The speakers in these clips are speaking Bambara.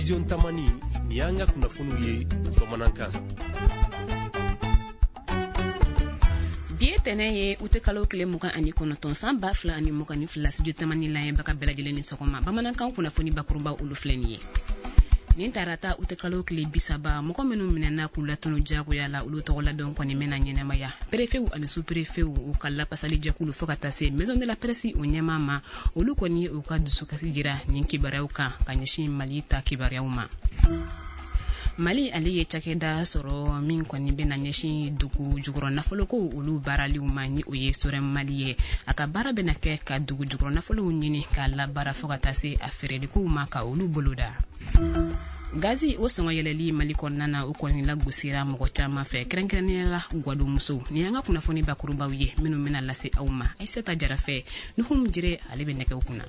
Studio Tamani, nin y'an ka kunnafoniw ye bamanankan. Bi ye tɛnɛ ye, ute kalo tile 29, san 2022. Studio Tamani lamɛnbaga bɛɛ lajɛlen ni sɔgɔma. Bamanankan kunnafoni bakuruba, olu filɛ nin ye. Nin tarata, ute kalo tile 30, mɔgɔ minnu minɛna k'u latunu jagoya la, olu tɔgɔladon kɔni bɛna ɲɛnamaya. Perefew ani superefew, u ka lapasalijɛkulu, fo ka taa se Maison de la Presse o ɲɛmaa ma, olu kɔni ye u ka dusukasi jira nin kibaruyaw kan ka ɲɛsin Mali ta kibaruyaw ma. Mali ale ye cakɛda sɔrɔ min kɔni bɛna ɲɛsin dugu jukɔrɔ nafolokow olu baaraliw ma, ni o ye Sorem Mali ye. A ka baara bɛna kɛ ka dugu jukɔrɔ nafolow ɲini k'a labaara, fo ka taa se a feerelikow ma, ka olu boloda. Gazi o sɔngɔ yɛlɛli Mali kɔnɔna na, o kɔni lagosira mɔgɔ caman fɛ, kɛrɛnkɛrɛnnenya la gwadonmusow. Nin y'an ka kunnafoni bakurubaw ye minnu bɛna lase aw ma Ayisata Jara fɛ. Nuhum Jire, ale bɛ nɛgɛw kunna.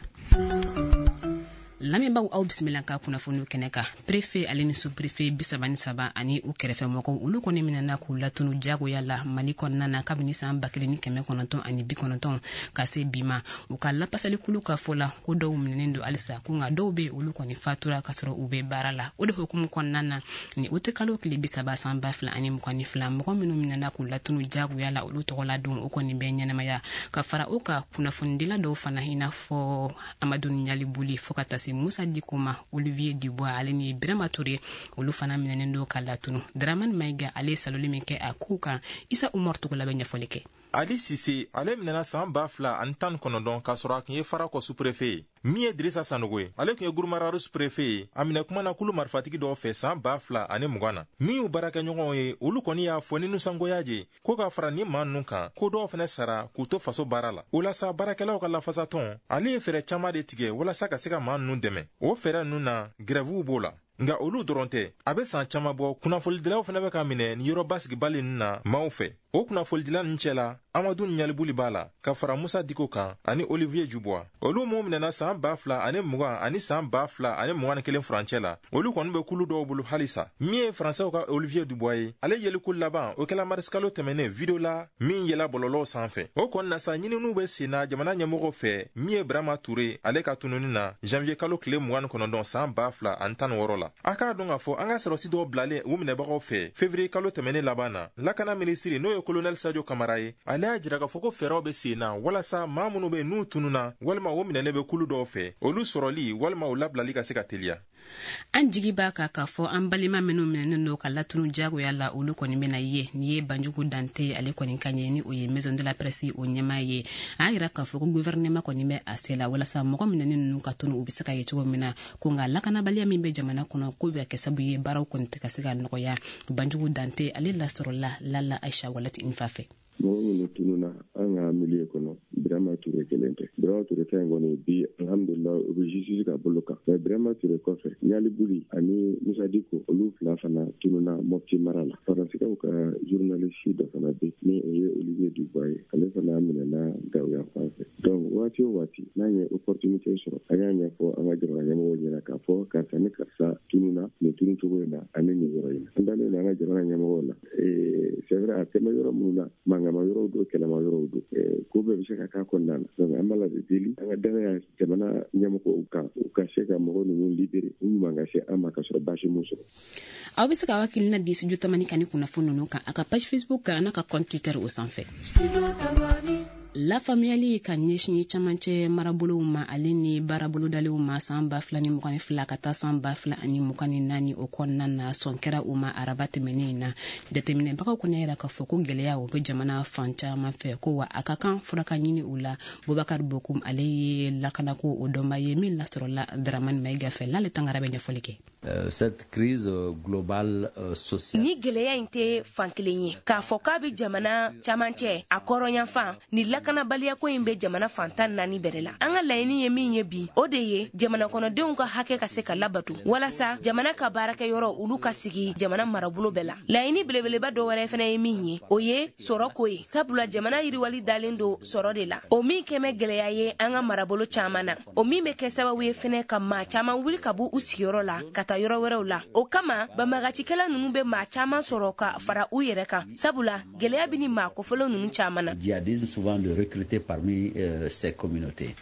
Lamɛnbaw, aw bisimila ka kunnafoniw kɛnɛ kan. Prefe ale ni suprefe 33 ani u kɛrɛfɛmɔgɔw, olu kɔni minɛna k'u latunu jagoya la Mali kɔnɔna na kabini san 1990 ka se bi ma. U ka lapasalikulu ka fɔ la, ko dɔw minɛnen don halisa, ko nka dɔw be, olu kɔni fatura ka sɔrɔ u be baara la. O de hukumu kɔnɔna na, ni ute kalo tile 30, san 2022, mɔgɔ minnu minɛna k'u latunu jagoya la, olu tɔgɔla don o kɔni bɛ ɲɛnamaya. Ka fara o kan, kunnafonidila dɔw fana, i n'a fɔ Amadu Ɲalibuli, fo ka taa se Musa Diko ma, Olivier Dubois ale ni Birama Ture, olu fana minɛnen don ka latunu. Dramani Mayiga, ale ye saloli min kɛ a kow kan, Isa Umar Togola bɛ ɲɛfɔli kɛ. Ali Sise, ale minɛna saan 2019 k'a sɔrɔ a tun ye Farakɔ suprefe ye. Min ye Dirisa Sanogo ye, ale tun ye Gurumararu suprefe ye. A minɛ kuma na kulu marifatigi dɔw fɛ saan 2020 na. Min y'u baarakɛɲɔgɔnw ye, olu kɔni y'a fɔ ni nusɔngoya je ko ka fara ni maa ninnu kan, ko dɔw fɛnɛ sara k'u to faso baara la. O la sa, baarakɛlaw ka lafasatɔn, ale ye fɛɛrɛ caaman de tigɛ walasa ka se ka maa ninnu dɛmɛ. O fɛɛrɛ ninnu na, grɛvuw b'o la. Nka olu dɔrɔn tɛ, a bɛ san caman bɔ, kunnafonidilaw fana bɛ ka minɛ ni yɔrɔ basigibali ninnu na maaw fɛ. O kunnafonidila ninnu cɛla, Amadu Ɲalibuli b'a la, ka fara Musa Diko kan ani Olivier Dubois. Olu minw minɛna saan 2020 ani saan 2021 furancɛ la, olu kɔni bɛ kulu dɔw bolo halisa. Min ye Faransɛw ka Olivier Dubois ye, ale yeliko laban, o kɛla marisikalo tɛmɛnen video la min yela bɔlɔlɔw sanfɛ. O kɔni na sa, ɲininiw bɛ senna jamana ɲɛmɔgɔw fɛ min ye Birama Ture ale ka tununi na janvier kalo tile 29, saan 2016 la. A k'a dɔn k'a fɔ an ka sɔrɔsi dɔw bilalen u minɛbagaw fɛ fevrier kalo tɛmɛnen laban na, lakana minisiri, n'o ye kolonɛli Sajo Kamara ye, ale y'a jira k'a fɔ ko fɛɛrɛw bɛ sen na walasa maa minnu bɛ n'u tununa walima o minɛnen bɛ kulu dɔw fɛ, olu sɔrɔli walima u labilali ka se ka teliya. An jigi b'a kan k'a fɔ an balima minnu minɛnen don ka latunu jagoya la, olu kɔni bɛna ye. Nin ye Banjugu Dante ale kɔni kan ye, ni o ye Maison de la Presse o ɲɛmaa ye. A y'a yira k'a fɔ ko gouvernement kɔni bɛ a se la walasa mɔgɔ minɛnen ninnu ka tunu, u bɛ se ka ye cogo min na. Ko nka lakanabaliya min bɛ jamana kɔnɔ, k'o bɛ ka kɛ sababu ye baaraw kɔni tɛ ka se ka nɔgɔya. Banjugu Dante, ale lasɔrɔla Lala Aisha Walati Nfa fɛ. Mɔgɔ minnu tununa an ka milieu kɔnɔ, Birama Ture kelen tɛ. Birama Ture ta in kɔni, bi, alhamdulila, u bɛ justice ka bolo kan. Mais Birama Ture kɔfɛ, Ɲali Buli ani Musa Diko, olu fila fana tununa Mɔpti mara la. Faransikaw ka journaliste dɔ fana bɛ, ni o ye Olivier Dubois ye, ale fana minɛna Gawo yan fan fɛ. Donc waati o waati n'an ye opportunité sɔrɔ, an y'a ɲɛfɔ an ka jamana ɲɛmɔgɔw ɲɛna k'a fɔ karisa ni karisa tununa nin tunu cogo in na ani nin yɔrɔ in na. An dalen don an ka jamana ɲɛmɔgɔw la. C'est vrai, a tɛmɛ yɔrɔ minnu na, mankanma yɔrɔw don, kɛlɛma yɔrɔw don, ko bɛɛ bɛ se ka k'a kɔnɔna na. Donc an b'a la de deli an ka danaya jamana ɲɛmɔgɔw kan, u ka se ka mɔgɔ ninnu libérer, u ɲuman ka se an ma ka sɔrɔ baasi m'u sɔrɔ. Aw bɛ se ka hakilina di Studio Tamani kan ni kunnafoni ninnu kan, a ka page Facebook kan, n'a ka compte Twitter o sanfɛ. Lafaamuyali ka ɲɛsin camancɛ marabolow ma ale ni baarabolodalenw ma san 2022 ka taa san 2024 o kɔnɔna na, sɔn kɛra u ma araba tɛmɛnen in na. Jateminɛbagaw kɔni y'a yira k'a fɔ ko gɛlɛya o bɛ jamana fan caman fɛ, ko wa a ka kan fura ka ɲini u la. Bubakar Bokum, ale ye lakanako o dɔnba ye, min lasɔrɔla Dramani Mayiga fɛ. N'ale Tangara bɛ ɲɛfɔli kɛ. Cette crise globale sociale. Ni gɛlɛya in tɛ fan kelen ye k'a fɔ k'a bɛ jamana camancɛ a kɔrɔnyanfan. Ni lakanabaliyako in bɛ jamana fan 14 bɛrɛ la. An ka laɲini ye min ye bi, o de ye jamana kɔnɔdenw ka hakɛ ka se ka labato, walasa jamana ka baarakɛyɔrɔ olu ka sigi jamana marabolo bɛɛ la. Laɲini belebeleba dɔ wɛrɛ fɛnɛ ye min ye, o ye sɔrɔ ko ye, sabula jamana yiriwali dalen don sɔrɔ de la, o min kɛmɛ gɛlɛya ye an ka marabolo caaman na, o min bɛ kɛ sababu ye fɛnɛ ka maa caaman wuli ka bɔ u sigiyɔrɔ la ka taa yɔrɔ wɛrɛw la. O kama banbagacikɛla nunu bɛ maa caaman sɔrɔ ka fara u yɛrɛ kan, sabula gɛlɛya bɛ ni maa kofɔlen nunu caaman na. Djihadisme souvent de recruter parmi ces communautés.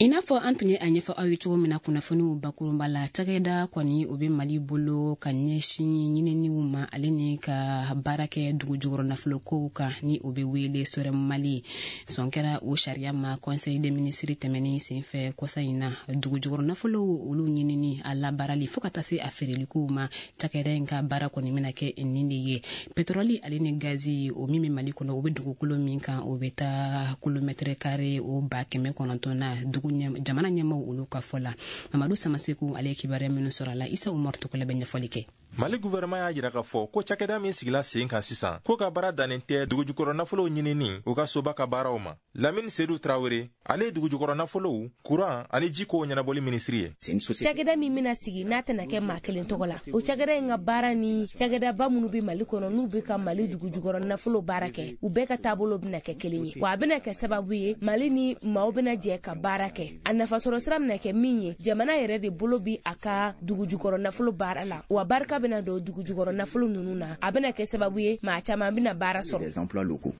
I n'a fɔ an tun ye a ɲɛfɔ aw ye cogo min na kunnafoniw bakurunba la, cakɛda kɔni o bɛ Mali bolo ka ɲɛsin ɲininiw ma ale ni ka baara kɛ dugu jukɔrɔ nafolokow kan, ni o bɛ wele SOREM Mali. Sɔn kɛra o sariya ma conseil des ministres tɛmɛnen senfɛ kɔsa in na. Dugu jukɔrɔ nafolow olu ɲinini, a labaarali, fo ka taa se a feerelikow ma, cakɛda in ka baara kɔni bɛna kɛ nin de ye. Pétrole ale ni gazi o min bɛ Mali kɔnɔ, o bɛ dugukolo min kan, o bɛ taa kilomètre carré o 900 na, dugu jamana ɲɛmaw olu ka fɔ la. Mamadu Samaseku ale ye kibaruya minnu sɔrɔ a la, Isa Umaru Tɔgɔla bɛ ɲɛfɔli kɛ. Mali gouvernement y'a jira k'a fɔ ko cakɛda min sigila sen kan sisan, ko ka baara dannen tɛ dugujukɔrɔ nafolow ɲinini u ka soba ka baaraw ma. Lamini Sedu Tarawele, ale ye dugujukɔrɔ nafolow, kuran ani ji kow ɲɛnabɔli minisiri ye. Cakɛda min bɛna sigi, n'a tɛna kɛ maa kelen tɔgɔ la, o cakɛda in ka baara ni cakɛdaba minnu bɛ Mali kɔnɔ, n'u bɛ ka Mali dugujukɔrɔ nafolo baara kɛ, u bɛɛ ka taabolo bɛna kɛ kelen ye. Wa a bɛna kɛ sababu ye, Mali ni maaw bɛna jɛ ka baara kɛ. A nafasɔrɔ sira bɛna kɛ min ye, jamana yɛrɛ de bolo bi a ka dugujukɔrɔ nafolo baara la, wa barika bɛna don dugujukɔrɔ nafolo ninnu na. A bɛna kɛ sababu ye, maa caman bɛna baara sɔrɔ.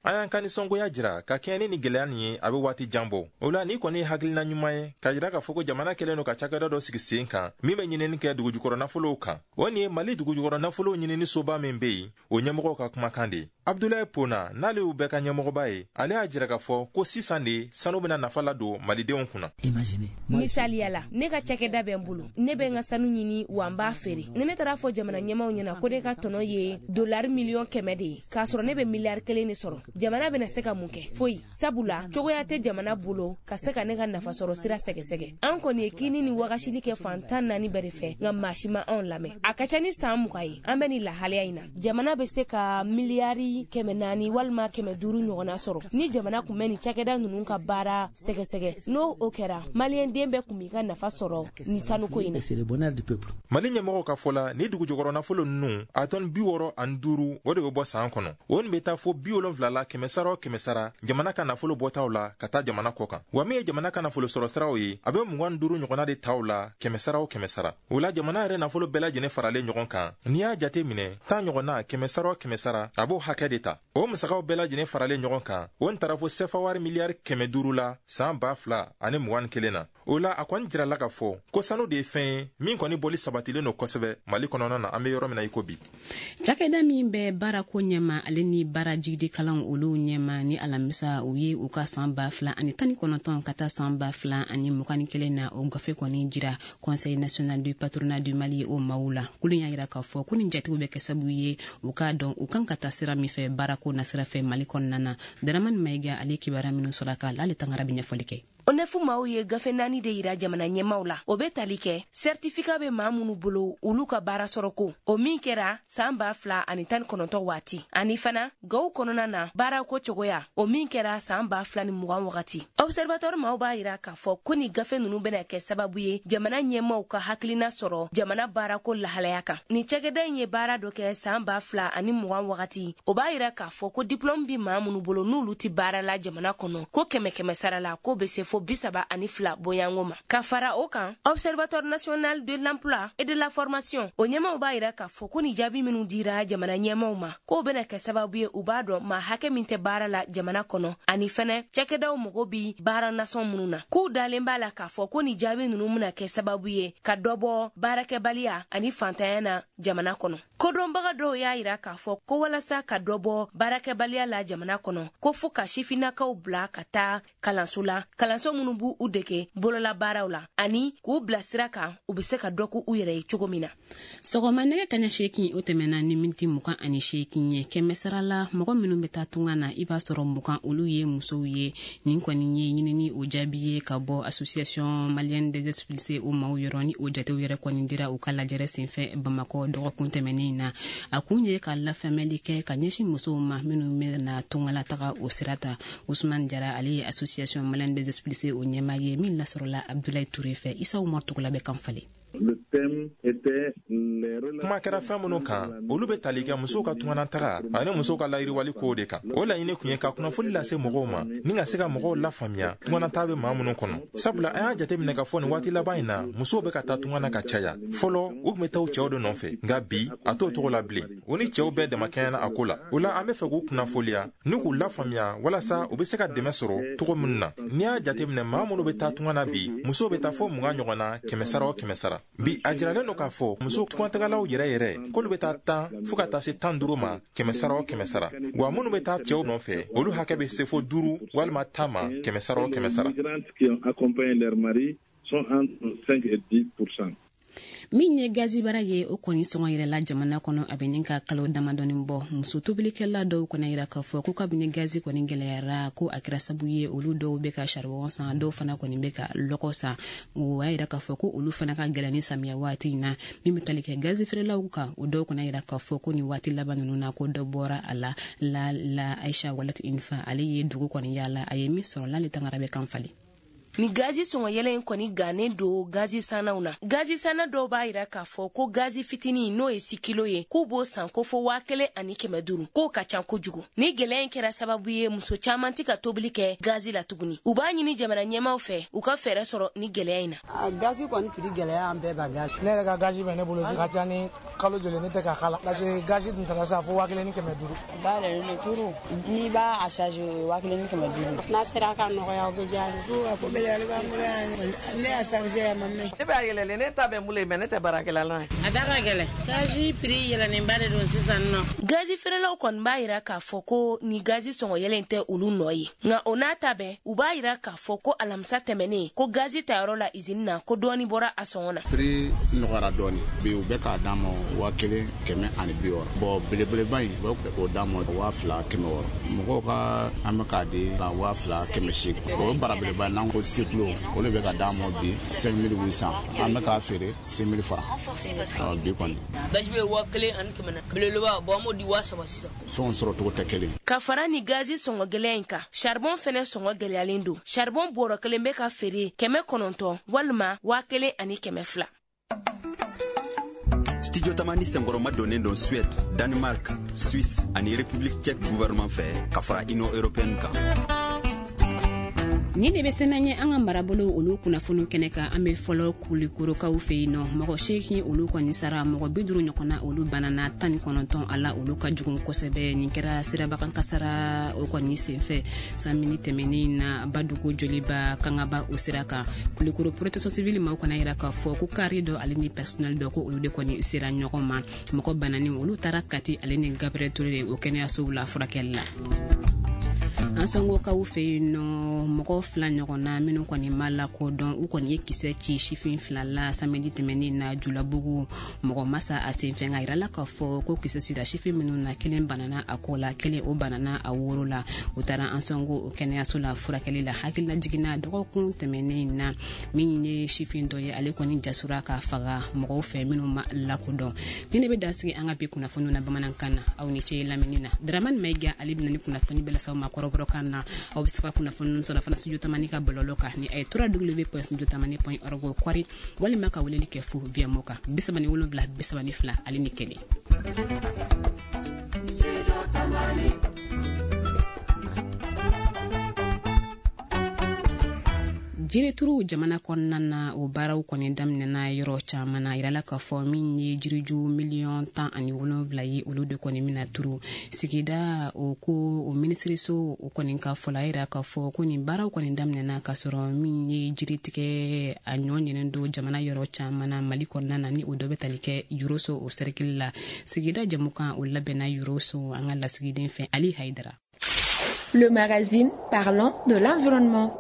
An y'an ka nisɔngoya jira ka kɛɲɛ ni nin gɛlɛya nin ye, a bɛ waati jan bɔ. O la, ni kɔni ye hakilina ɲuman ye ka jira k'a fɔ ko jamana kɛlen don ka cakɛda dɔ sigi sen kan min bɛ ɲinini kɛ dugujukɔrɔ nafolow kan. O nin ye Mali dugujukɔrɔ nafolow ɲinini soba min bɛ yen, o ɲɛmɔgɔw ka kumakan de ye. Abdulayi Pona, n'ale y'u bɛɛ ka ɲɛmɔgɔba ye, ale y'a jira k'a fɔ ko sisan de sanu bɛna nafa ladon malidenw kunna. Misaliya la, ne ka cakɛda bɛ n bolo, ne bɛ n ka sanu ɲini, wa n b'a feere. Ni ne taara fɔ jamana ɲɛmaw ɲɛna ko ne ka tɔnɔ ye dolari 100 miliyɔn de ye, k'a sɔrɔ ne bɛ miliyari 1 de sɔrɔ, jamana bɛna se ka mun kɛ? Foyi, sabula cogoya tɛ jamana bolo ka se ka ne ka nafasɔrɔ sira sɛgɛsɛgɛ. An kɔni ye kini ni wagasili kɛ fan 14 bɛɛ de fɛ, nka maa si ma anw lamɛn. A ka ca ni san 20 ye an bɛ nin lahalaya in na. Jamana bɛ se ka miliyari 400 walima 500 ɲɔgɔnna sɔrɔ ni jamana kun bɛ nin cakɛda ninnu ka baara sɛgɛsɛgɛ. N'o o kɛra, maliyɛn den bɛɛ kun b'i ka nafa sɔrɔ nin sanuko in na. Mali ɲɛmɔgɔw ka fɔ la, ni dugujukɔrɔ nafolo ninnu, a tɔni 65, o de bɛ bɔ san kɔnɔ. O nin bɛ taa fo 70 la kɛmɛ sara o kɛmɛ sara jamana ka nafolo bɔtaw la ka taa jamana kɔ kan. Wa min ye jamana ka nafolo sɔrɔ siraw ye, a bɛ 25 ɲɔgɔnna de taw la kɛmɛ sara o kɛmɛ sara. O la, jamana yɛrɛ nafolo bɛɛ lajɛlen faralen ɲɔgɔn kan, n'i y'a jate minɛ, 10 ɲɔgɔnna kɛmɛ sara o kɛmɛ sara, a b'o hakɛ de ta. O musakaw bɛɛ lajɛlen faralen ɲɔgɔn kan, o nin taara fo sɛfa wari miliyari 500 la san 2021 na. O la, a kɔni jirala k'a fɔ ko sanu de ye fɛn ye min kɔni bɔli sabatilen don kosɛbɛ Mali kɔnɔna na, an bɛ yɔrɔ min na i ko bi. Cakɛda min bɛ baarako ɲɛma ale ni baara jigidikalanw olu ɲɛma, ni alamisa u ye u ka san 2019 ka taa san 2021 na, o gafe kɔni jira Conseil national du patronat du Mali o maaw la. Kulu y'a yira k'a fɔ ko nin jatigiw bɛ kɛ sababu ye u k'a dɔn u kan ka taa sira min fɛ baarako nasira fɛ Mali kɔnɔna na. Daramani Mayiga ale kibaruya minnu sɔrɔ a kan, ale tangara bɛ ɲɛfɔli kɛ. ONEF maaw ye gafe naani de yira jamana ɲɛmaw la. O bɛ tali kɛ certificat bɛ maa minnu bolo, olu ka baara sɔrɔ ko, o min kɛra san 2019 waati, ani fana gaw kɔnɔna na baarako cogoya, o min kɛra san 2020 wagati. Observatoire maaw b'a yira k'a fɔ ko ni gafe ninnu bɛna kɛ sababu ye jamana ɲɛmaw ka hakilina sɔrɔ jamana baarako lahalaya kan. Nin cakɛda in ye baara dɔ kɛ san 2020 wagati, o b'a yira k'a fɔ ko diplôme bi maa minnu bolo, n'olu tɛ baara la jamana kɔnɔ, ko kɛmɛ kɛmɛ sara la, k'o bɛ se fo 32 bonyango ma. Ka fara o kan, Observatoire national de l'emploi et de la formation o ɲɛmaw b'a yira k'a fɔ ko ni jaabi minnu dira jamana ɲɛmaw ma, k'o bɛna kɛ sababu ye u b'a dɔn maa hakɛ min tɛ baara la jamana kɔnɔ, ani fɛnɛ cakɛdaw mago bi baara nasɔn minnu na. K'u dalen b'a la k'a fɔ ko ni jaabi ninnu bɛna kɛ sababu ye ka dɔ bɔ baarakɛbaliya ani fantanya na jamana kɔnɔ. Kodɔnbaga dɔw y'a yira k'a fɔ ko walasa ka dɔ bɔ baarakɛbaliya la jamana kɔnɔ, ko fo ka sifinnakaw bila ka taa kalanso la, kalanso minnu b'u u dege bololabaaraw la ani k'u bila sira kan u bɛ se ka dɔ k'u yɛrɛ ye cogo min na. Sɔgɔma nɛgɛ kaɲa 8, o tɛmɛna ni miniti 28 ye. Kɛmɛ sara la, mɔgɔ minnu bɛ taa tunga na, i b'a sɔrɔ 20, olu ye musow ye. Nin kɔni ye ɲinini o jaabi ye ka bɔ Association malienne des expulsés o maaw yɔrɔ, ni o jatew yɛrɛ kɔni dira u ka lajɛrɛ senfɛ Bamakɔ dɔgɔkun tɛmɛnen na. A kun ye ka lafaamuyali kɛ ka ɲɛsin musow ma minnu bɛna tungala taga o sira ta. Usman Jara, ale ye Association malienne des expulsés o ɲɛmaa ye, min lasɔrɔla Abdulayi Ture fɛ. Isa Umar Tugula bɛ kan falen. Kuma kɛra fɛn minnu kan, olu bɛ tali kɛ musow ka tunganataga ani musow ka layiriwali kow de kan. O laɲini tun ye ka kunnafoni lase mɔgɔw ma ni ka se ka mɔgɔw lafaamuya tunganata bɛ maa minnu kɔnɔ, sabula an y'a jateminɛ k'a fɔ nin waati laban in na, musow bɛ ka taa tunga na ka caya. Fɔlɔ, u tun bɛ taa u cɛw de nɔfɛ, nka bi a t'o cogo la bilen. U ni cɛw bɛɛ damakɛɲɛna a ko la. O la, an bɛ fɛ k'u kunnafoniya ni k'u lafaamuya walasa u bɛ se ka dɛmɛ sɔrɔ cogo minnu na. N'i y'a jateminɛ, maa minnu bɛ taa tunga na bi, musow bɛ taa fo 20 ɲɔgɔn na 100 sara o 100 sara. Bi a jiralen don k'a fɔ muso tungatagalaw yɛrɛ yɛrɛ k'olu bɛ taa 10 fo ka taa se 15 ma 100 sara o 100 sara, wa minnu bɛ taa cɛw nɔfɛ, olu hakɛ bɛ se fo 5 walima 10 ma 100 sara o 100 sara. Min ye gazibara ye, o kɔni sɔngɔ yɛlɛla jamana kɔnɔ a bɛ nin ka kalo damadɔni bɔ. Muso tobilikɛla dɔw kɔni yira k'a fɔ ko kabini gazi kɔni gɛlɛyara, ko a kɛra sabu ye olu dɔw bɛ ka saribɔn san, dɔw fana kɔni bɛ ka lɔgɔ san. O y'a yira k'a fɔ ko olu fana ka gɛlɛn ni samiya waati in na. Min bɛ tali kɛ gazi feerelaw kan, o dɔw kɔni yira k'a fɔ ko nin waati laban ninnu na, ko dɔ bɔra a la. La Aisha Walat Infa, ale ye dugu kɔni yaala, a ye min sɔrɔ l'ale tangara bɛ kan falen. Ni gazi sɔngɔ yɛlɛ in kɔni gannen don gazi sannaw na. Gazi sanna dɔw b'a yira k'a fɔ ko gazi fitinin, n'o ye 6 kilo ye, k'u b'o san ko fo 1500, k'o ka ca kojugu. Ni gɛlɛya in kɛra sababu ye muso caman tɛ ka tobili kɛ gazi la tuguni. U b'a ɲini jamana ɲɛmaaw fɛ u ka fɛɛrɛ sɔrɔ ni gɛlɛya in na. Gazi kɔni prix gɛlɛya an bɛɛ ba gazi. Ne yɛrɛ ka gazi bɛ ne bolo ka ca ni kalo joli ne tɛ ka kala, parce que gazi tun taara sa fo 1500. Ba yɛlɛlen don turu, n'i b'a a charge 1500. N'a sera ka nɔgɔya, o bɛ diya n ye. Ne y'a chargé a ma mɛn. Ne b'a yɛlɛlen, ne ta bɛ n bolo yen, mais ne tɛ baarakɛla la. A da ka gɛlɛn. Gazi prix yɛlɛnnenba de don sisan nɔ. Gazi feerelaw kɔni b'a yira k'a fɔ ko ni gazi sɔngɔ yɛlɛ in tɛ olu nɔ ye, nka o n'a ta bɛɛ, u b'a yira k'a fɔ ko alamisa tɛmɛnen, ko gazi tayɔrɔ la izini na, ko dɔɔni bɔra a sɔngɔ na. Prix nɔgɔyara dɔɔni bi, u bɛ k'a d'an ma 1160. Bon, belebeleba in, u bɛ k'o d'an ma 2600. Mɔgɔw ka an bɛ k'a di 2800. O ye barabeleba n'an ko kilo, o de bɛ ka d'an ma bi 5800. An bɛ k'a feere 6000 francs bi kɔni. Gazi bɛ 1400, belebeleba bon, an b'o di 3000 sisan. Fɛnw sɔrɔ cogo tɛ kelen. Ka fara ni gazi sɔngɔ gɛlɛya in kan, charbon fɛnɛ sɔngɔ gɛlɛyalen don. Charbon bɔrɔ kelen bɛ ka feere 900 walima 1200. Studio Tamani senkɔrɔma donnen don Suède, Danemark, Suisse ani République tchèque gouvernement fɛ ka fara Union européenne kan. Nin de bɛ sɛnɛ ɲɛ an ka marabolo olu kunnafoniw kɛnɛ kan. An bɛ fɔlɔ Kulikorokaw fɛ yen nɔ. Mɔgɔ 8 olu kɔni sara, mɔgɔ 50 ɲɔgɔnna olu banana, 19 a la olu ka jugu kosɛbɛ. Nin kɛra sirabakan kasara o kɔni senfɛ samedi tɛmɛnen na Badugu Joliba Kangaba o sira kan. Kulikoro protection civile maaw kana yira k'a fɔ ko kari dɔ ale ni personnel dɔ, ko olu de kɔni sera ɲɔgɔn ma. Mɔgɔ bananen olu taara Kati ale ni Gabriel Touré o kɛnɛyasow la furakɛli la. An sɔngokaw fɛ yen nɔ, mɔgɔ 2 ɲɔgɔnna minnu kɔni ma lakodɔn, u kɔni ye kisɛ ci sifin 2 la samedi tɛmɛnen na Julabugu. Mɔgɔ ma sa a senfɛ, nka yirala k'a fɔ ko kisɛ cira sifin minnu na, kelen banana a kɔ la, kelen o banana a woro la. U taara an sɔngo o kɛnɛyaso la furakɛli la. Hakilina jiginna dɔgɔkun tɛmɛnen na, min ye sifin dɔ ye, ale kɔni jasura k'a faga mɔgɔw fɛ minnu ma lakodɔn. Ni ne bɛ dansigi an ka bi kunnafoniw na bamanankan na. Aw ni ce lamɛnni na. Dramane Maïga, ale bɛna ni kunnafoni bɛɛ lase aw ma kɔrɔbɔrɔ kan na. Aw bɛ se ka kunnafoni sɔrɔ fana Studio Tamani ka bɔlɔlɔ kan ni a ye www.studiotamani.org kɔri, walima ka weleli kɛ fo via mo kan 37 32 ale ni 1. Jirituru jamana kɔnɔna na, o baaraw kɔni daminɛna yɔrɔ caman na. Yirala k'a fɔ min ye jiriju 17 millions ye, olu de kɔni bɛna turu sigida. O ko o minisiriso o kɔni ka fɔ la, yira k'a fɔ ko nin baaraw kɔni daminɛna k'a sɔrɔ min ye jiritigɛ a ɲɔ ɲinin don jamana yɔrɔ caman na Mali kɔnɔna na, ni o dɔ bɛ tali kɛ Yoroso o sɛrikili la. Sigida jamukan o labɛnna Yoroso an ka lasigiden fɛ, Ali Haidara. Le magazine parlant de l'environnement.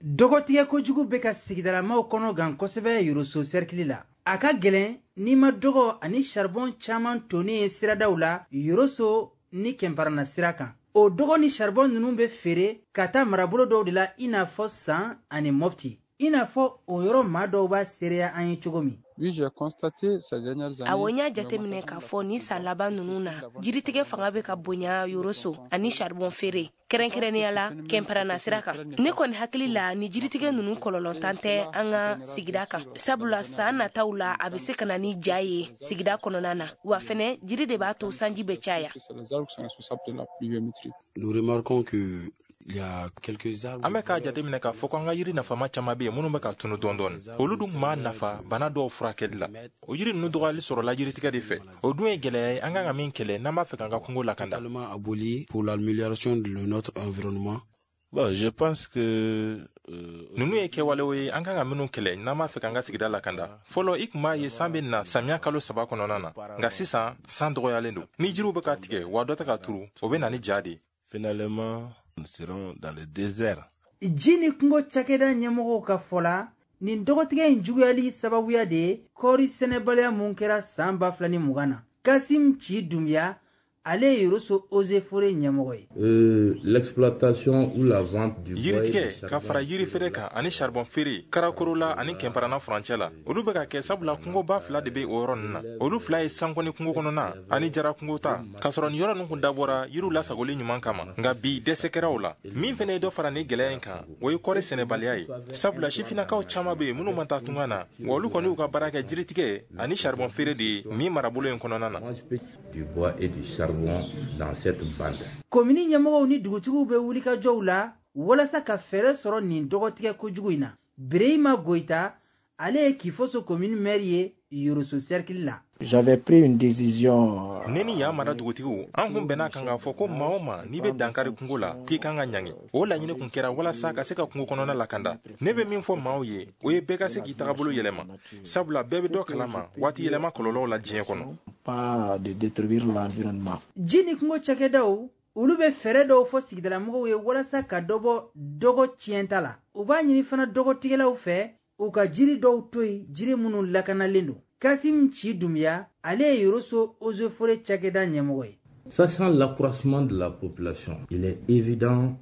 Dɔgɔtigɛ kojugu bɛ ka sigidalamaw kɔnɔ gan kosɛbɛ Yoroso sɛrikili la. A ka gɛlɛn n'i ma dɔgɔ ani saribɔn caman tonnen ye siradaw la Yoroso ni Kɛnparana sira kan. O dɔgɔ ni saribɔn ninnu bɛ feere ka taa marabolo dɔw de la, i n'a fɔ San ani Mɔpti. I n'a fɔ o yɔrɔ maa dɔw b'a seereya an ye cogo min. Awɔ, n y'a jateminɛ k'a fɔ ni san laban ninnu na, jiritigɛ fanga bɛ ka bonya Yoroso ani charbon feere, kɛrɛnkɛrɛnnenya la Kɛnpɛrɛnna sira kan. Ne kɔni hakili la, ni jiritigɛ ninnu kɔlɔlɔntan tɛ an ka sigida kan, sabula san nataw la a bɛ se ka na ni ja ye sigida kɔnɔna na. Wa fɛnɛ, jiri de b'a to sanji bɛ caya. An bɛ k'a jateminɛ k'a fɔ ko an ka yiri nafama caman bɛ yen minnu bɛ ka tunu dɔɔni dɔɔni. Olu dun tun b'a nafa bana dɔw furakɛli la. O yiri ninnu dɔgɔyali sɔrɔla jiritigɛ de fɛ. O dun ye gɛlɛya ye an kan ka min kɛlɛ n'an b'a fɛ k'an ka kungo lakanda. Ninnu ye kɛwalew ye an kan ka minnu kɛlɛ n'an b'a fɛ k'an ka sigida lakanda. Fɔlɔ, i tun b'a ye san bɛ na samiya kalo 3 kɔnɔna na, nka sisan san dɔgɔyalen don. Ni jiriw bɛ ka tigɛ wa dɔ tɛ ka turu, o bɛ na ni ja de ye. Ji ni kungo cakɛda ɲɛmɔgɔw ka fɔ la, nin dɔgɔtigɛ in juguyali sababuya de ye kɔɔri sɛnɛbaliya mun kɛra san 2020 na. Kasim Ci Dunbiya, ale ye Yoroso Eaux et Forêts ɲɛmɔgɔ ye. Yiritigɛ ka fara yiri feere kan ani charbon feere Karakorola ani Kɛnpɛrɛnna furancɛ la, olu bɛ ka kɛ sabula kungoba 2 de bɛ o yɔrɔ ninnu na. Olu 2 ye Sankɔni kungo kɔnɔna ani Jara kungo ta, k'a sɔrɔ nin yɔrɔ ninnu kun dabɔra yiriw lasagoli ɲuman kama, nka bi dɛsɛ kɛra o la. Min fana ye dɔ fara nin gɛlɛya in kan, o ye kɔɔri sɛnɛbaliya ye, sabula sifinnakaw caman bɛ yen minnu ma taa tunga na, wa olu kɔni y'u ka baara kɛ jiritigɛ ani charbon feere de ye nin marabolo in kɔnɔna na. Komini ɲɛmɔgɔw ni dugutigiw bɛ wulikajɔw la walasa ka fɛɛrɛ sɔrɔ nin dɔgɔtigɛ kojugu in na. Birehima Goyita, ale ye Kifoso komini maire ye Yoroso cercle la. Ne ni yan mara dugutigiw, an kun bɛn'a kan k'a fɔ ko maa o maa n'i bɛ dankari kungo la, k'i kan ka ɲangi. O laɲini kun kɛra walasa ka se ka kungo kɔnɔna lakanda. Ne bɛ min fɔ maaw ye, o ye bɛɛ ka se k'i tagabolo yɛlɛma, sabula bɛɛ bɛ dɔ kalama waati yɛlɛma kɔlɔlɔw la diɲɛ kɔnɔ. Ji ni kungo cakɛdaw, olu bɛ fɛɛrɛ dɔw fɔ sigidalamɔgɔw ye walasa ka dɔ bɔ dɔgɔ tiɲɛta la. U b'a ɲini fana dɔgɔtigɛlaw fɛ u ka jiri dɔw to yen, jiri minnu lakanalen don. Kasim Ci Dunbiya, ale ye Yoroso Eaux et Forêts cakɛda ɲɛmɔgɔ ye. Sachant l'accroissement de la population, il est évident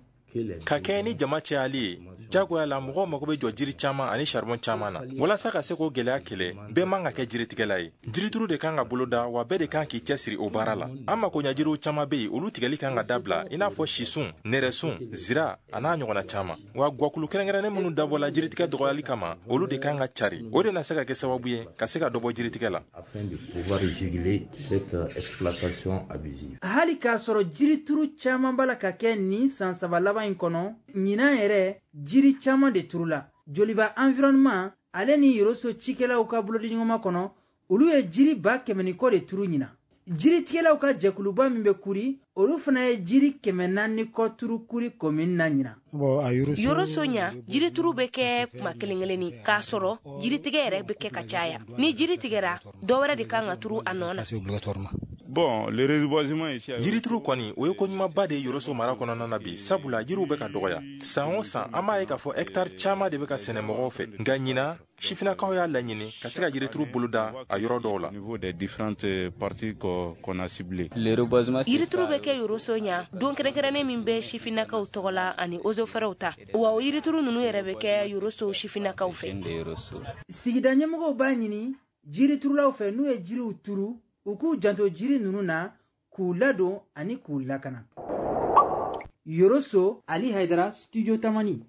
ka kɛɲɛ ni jama cayali ye, jagoya la mɔgɔw mago bɛ jɔ jiri caman ani charbon caman na. Walasa ka se k'o gɛlɛya kɛlɛ, bɛɛ man ka kɛ jiritigɛla ye. Jirituru de kan ka boloda, wa bɛɛ de kan k'i cɛsiri o baara la. An makoɲɛ jiriw caman bɛ yen, olu tigɛli kan ka dabila, i n'a fɔ sisun, nɛrɛsun, zira a n'a ɲɔgɔnna caman. Wa guwakulu kɛrɛnkɛrɛnnen minnu dabɔla jiritigɛ dɔgɔyali kama, olu de kan ka cari. O de na se ka kɛ sababu ye ka se ka dɔ bɔ jiritigɛ la. Hali k'a sɔrɔ jirituru caman b'a la ka kɛ nin san 3 laban in kɔnɔ, ɲinan yɛrɛ jiri caman de turula. Joliba environnement ale ni Yoroso cikɛlaw ka bolodiɲɔgɔnma kɔnɔ, olu ye jiri 100,000 ni kɔ de turu ɲinan. Jiritigɛlaw ka jɛkuluba min bɛ Kuri, olu fana ye jiri 400 ni kɔ turu Kuri komini na ɲinan. Yoroso ɲa, jirituru bɛ kɛ kuma kelen kelenni, k'a sɔrɔ jiritigɛ yɛrɛ bɛ kɛ ka caya. Ni jiri tigɛra, dɔ wɛrɛ de kan ka turu a nɔ na. Jirituru kɔni, o ye ko ɲumanba de ye Yoroso mara kɔnɔna na bi, sabula jiriw bɛ ka dɔgɔya. San o san, an b'a ye k'a fɔ hɛkitari caman de bɛ ka sɛnɛ mɔgɔw fɛ, nka ɲinan sifinnakaw y'a laɲini ka se ka jirituru boloda a yɔrɔ dɔw la. Yirituru bɛ kɛ Yoroso ɲa don kɛrɛnkɛrɛnnen min bɛ sifinnakaw tɔgɔ la ani ozofɛrɛw ta, wa o yirituru ninnu yɛrɛ bɛ kɛ Yoroso sifinnakaw fɛ. Sigida ɲɛmɔgɔw b'a ɲini jiriturulaw fɛ n'u ye jiriw turu, u k'u janto jiri ninnu na, k'u ladon ani k'u lakana. Yoroso, Ali Haidara, Studio Tamani.